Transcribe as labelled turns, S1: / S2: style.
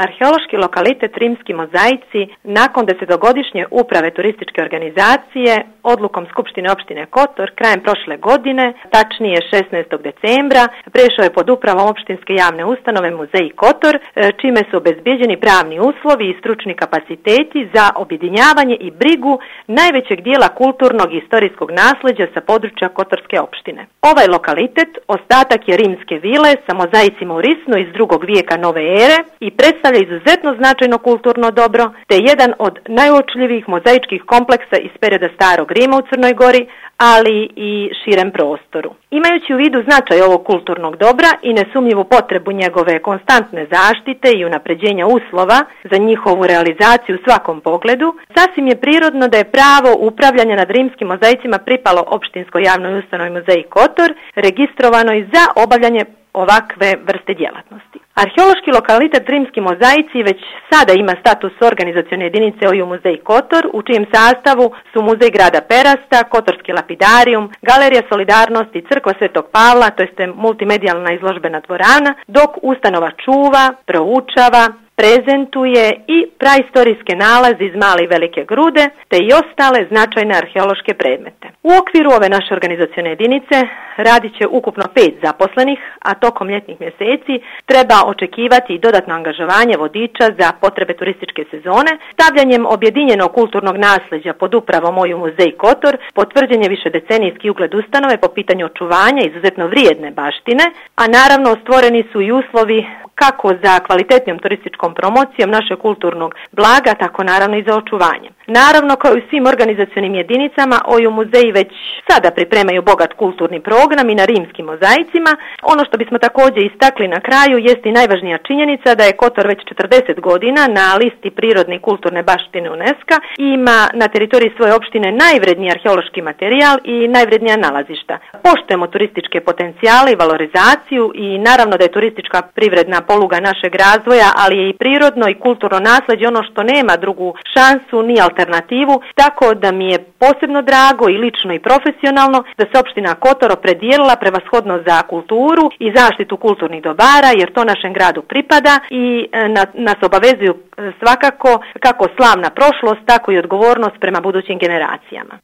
S1: Arheološki lokalitet Rimski mozaici nakon 10-godišnje uprave turističke organizacije odlukom Skupštine opštine Kotor krajem prošle godine, tačnije 16. decembra, prešao je pod upravom opštinske javne ustanove Muzej Kotor, čime su obezbeđeni pravni uslovi i stručni kapaciteti za objedinjavanje i brigu najvećeg dijela kulturnog i istorijskog nasleđa sa područja Kotorske opštine. Ovaj lokalitet ostatak je rimske vile sa mozaicima u risnu iz 2. vijeka nove ere i predstavlja izuzetno značajno kulturno dobro, te jedan od najuočljivijih mozaičkih kompleksa iz perioda Starog Rima u Crnoj Gori, ali i širem prostoru. Imajući u vidu značaj ovog kulturnog dobra i nesumnjivu potrebu njegove konstantne zaštite i unapređenja uslova za njihovu realizaciju u svakom pogledu, sasvim je prirodno da je pravo upravljanja nad rimskim mozaicima pripalo opštinskoj javnoj ustanovi Muzej Kotor, registrovano za obavljanje ovakve vrste djelatnosti. Arheološki lokalitet Rimski mozaici već sada ima status organizacione jedinice OJU Muzej Kotor, u čijem sastavu su Muzej grada Perasta, Kotorski lapidarijum, Galerija solidarnosti, Crkva Svetog Pavla, to jest multimedijalna izložbena dvorana, dok ustanova čuva, proučava, prezentuje i praistorijske nalaze iz Male i Velike Grude, te i ostale značajne arheološke predmete. U okviru ove naše organizacione jedinice radit će ukupno 5 zaposlenih, a tokom ljetnih mjeseci treba očekivati i dodatno angažovanje vodiča za potrebe turističke sezone, stavljanjem objedinjenog kulturnog nasleđa pod upravom OJU Muzej Kotor, potvrđen je višedecenijski ugled ustanove po pitanju očuvanja izuzetno vrijedne baštine, a naravno stvoreni su i uslovi kako za kvalitetnijom turističkom promocijom našeg kulturnog blaga, tako naravno i za očuvanje. Naravno, kao i svim organizacionim jedinicama, OJU muzeji već sada pripremaju bogat kulturni program i na rimskim mozaicima. Ono što bismo također istakli na kraju jest i najvažnija činjenica da je Kotor već 40 godina na listi prirodne i kulturne baštine UNESCO i ima na teritoriji svoje opštine najvredniji arheološki materijal i najvrednija nalazišta. Poštujemo turističke potencijale i valorizaciju i naravno da je turistička privredna poluga našeg razvoja, ali je i prirodno i kulturno nasleđe ono što nema drugu šansu ni alternativu, tako da mi je posebno drago i lično i profesionalno da se opština Kotor opredijelila prevashodno za kulturu i zaštitu kulturnih dobara, jer to našem gradu pripada i nas obavezuju svakako kako slavna prošlost, tako i odgovornost prema budućim generacijama.